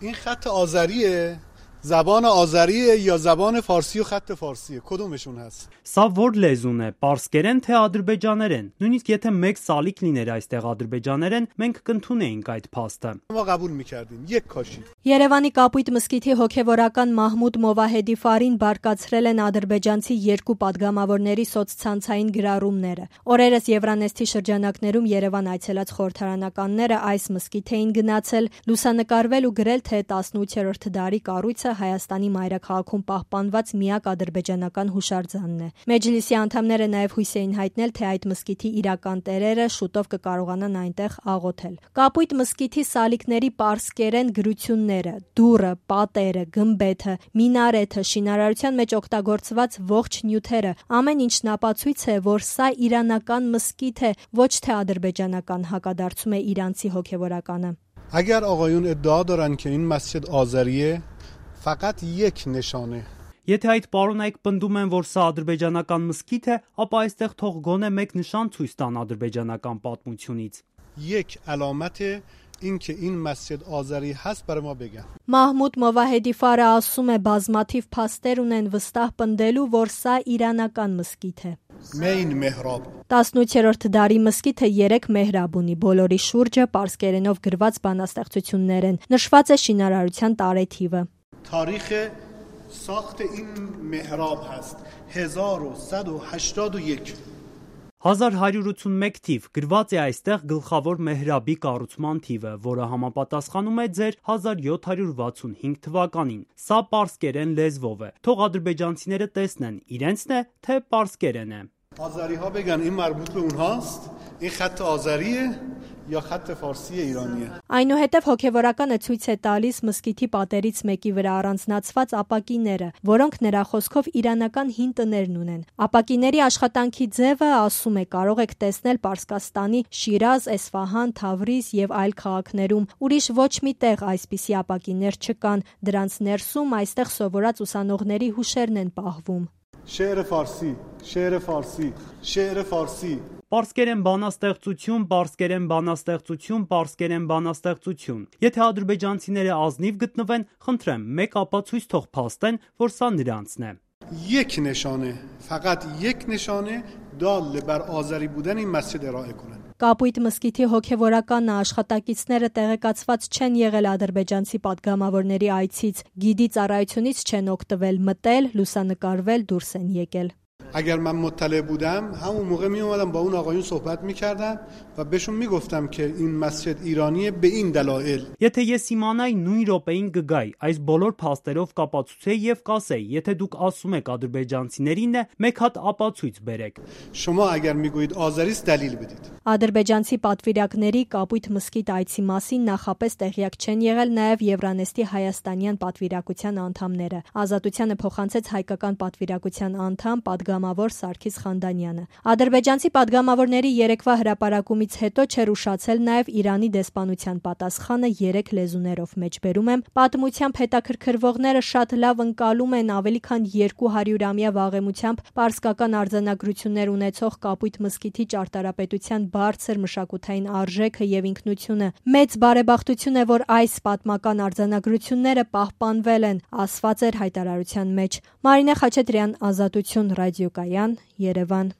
این خط آذریه، زبان آذریه یا زبان فارسی و خط فارسیه، کدومشون هست؟ Սա որ լեզուն է, պարսկերեն թե ադրբեջաներեն։ Նույնիսկ եթե մեկ սալիկ լիներ այստեղ ադրբեջաներեն, մենք կընդունեինք այդ փաստը։ ما قبول میکردیم یک کاشی. Երևանի Կապույտ մզկիթի հոգևորական Մահմուդ Մովահեդի Ֆարին բարկացրել են ադրբեջանցի երկու падգամավորների սոցցանցային գրառումները։ Օրերս Եվրանեստի շրջանակներում Երևան այցելած խորհրդարանականները այս մզկիթ էին գնացել, լուսանկարվել ու գրել, թե 18-րդ դարի կառույցը Հայաստանի մայրաքաղաքում պահպանված միակ ադրբեջանական հուշարձանն է։ Մեջլիսի անդամները նաև հույս էին հայտնել, թե այդ մզկիթի իրական տերերը շուտով կկարողանան այնտեղ աղոթել։ Կապույտ մզկիթի սալիկների պարսկերեն գրությունները, դուռը, պատերը, գմբեթը, մինարեթը, շինարարության մեջ օգտագործված ողջ նյութերը, ամեն ինչն ապացույց է, որ սա իրանական մզկիթ է, ոչ թե ադրբեջանական, հակադարձում է իրանցի հոգևորականը։ اگر آقایون ادعا دارن که این مسجد آذریه فقط یک نشانه. Եթե այդ պարոնայք պնդում են, որ սա ադրբեջանական մզկիթ է, ապա այստեղ թող գոնե մեկ նշան ցույց տան ադրբեջանական պատմությունից։ یک علامت این که این مسجد آذری هست برای ما بگن. Մահմուդ Մովահեդի Ֆարը ասում է, բազմաթիվ փաստեր ունեն վստահ պնդելու, որ սա իրանական մզկիթ է։ مین محراب. 18-րդ դարի մզկիթը 3 մեհրաբ ունի, բոլորի շուրջը պարսկերենով գրված բանաստեղծություններ են, նշված է շինարարության տարեթիվը։ تاریخ ساخت این محراب هست 1181. 1181 թիվ գրված է այստեղ գլխավոր մեհրաբի կառուցման թիվը, որը համապատասխանում է ձեր 1765 թվականին։ Սա պարսկերեն լեզվով է։ Թող ադրբեջանցիները տեսնեն, իրենցն է, թե պարսկերեն է։ آذری ها بگن این مربوط به اونهاست، این خط آذریه یا خط فارسی ایرانیه. Այնուհետև հոգևորականը ցույց է տալիս մզկիթի պատերից մեկի վրա առանձնացված ապակիները, որոնք նրա խոսքով իրանական հին տներն ունեն։ Ապակիների աշխատանքի ձևը, ասում է, կարող եք տեսնել Պարսկաստանի Շիրազ, Էսֆահան, Թավրիզ եւ այլ քաղաքներում։ Ուրիշ ոչ մի տեղ այսպիսի ապակիներ չկան, դրանց ներսում այստեղ սովորած ուսանողների հուշերն են պահվում։ شعر فارسی، شعر فارسی، شعر فارسی. Պարսկերեն բանաստեղծություն, պարսկերեն բանաստեղծություն, պարսկերեն բանաստեղծություն։ Եթե ադրբեջանցիները ազնիվ գտնվեն, խնդրեմ, մեկ ապացույց թող փաստեն, որ սա նրանցն է։ یک نشانه، فقط یک نشانه دال بر آذری بودن این مسجد ارائه کنن. Կապույտ մզկիթի հոգևորականը աշխատակիցները տեղեկացված չեն եղել ադրբեջանցի падգամավորների այցից, գիդի ծառայությունից չեն օգտվել, մտել, լուսանկարվել, դուրս են եկել։ اگر من مطلع بودم همون موقع می اومدم با اون آقایون صحبت میکردم و بهشون میگفتم که این مسجد ایرانیه به این دلایل. Եթե ես իմանայի նույն րոպեին կգայի, այս բոլոր փաստերով կապացուցեի եւ կասեի, եթե դուք ասում եք ադրբեջանցիներին է, մեկ հատ ապացույց բերեք։ شما اگر میگویید آذریست دلیل بدید. Ադրբեջանցի պատվիրակների Կապույտ մզկիթ այցի մասին նախապես տեղյակ չեն եղել նաև Եվրանեստի հայաստանյան պատվիրակության անդամները։ Ազատությանը փոխանցեց հայկական պատվիրակության անդամ падգամավոր Սարգիս Խանդանյանը։ Ադրբեջանցի падգամավորների երեկվա հրապարակումից հետո չէր ուշացել նաև Իրանի դեսպանության պատասխանը 3 լեզուներով մեջբերում եմ։ Պատմությամբ հետաքրքրվողները շատ լավ ընկալում են ավելի քան 200-ամյա վաղեմությամբ պարսկական արձանագրություններ ունեցող Կապույտ մզկիթի ճարտարապետության բարձր մշակութային արժեքը եւ ինքնությունը։ Մեծ բարեբախտություն է, որ այս պատմական արձանագրությունները պահպանվել են, ասված էր հայտարարության մեջ։ Մարինե Խաչատրյան, Ազատություն ռադիոկայան, Երևան։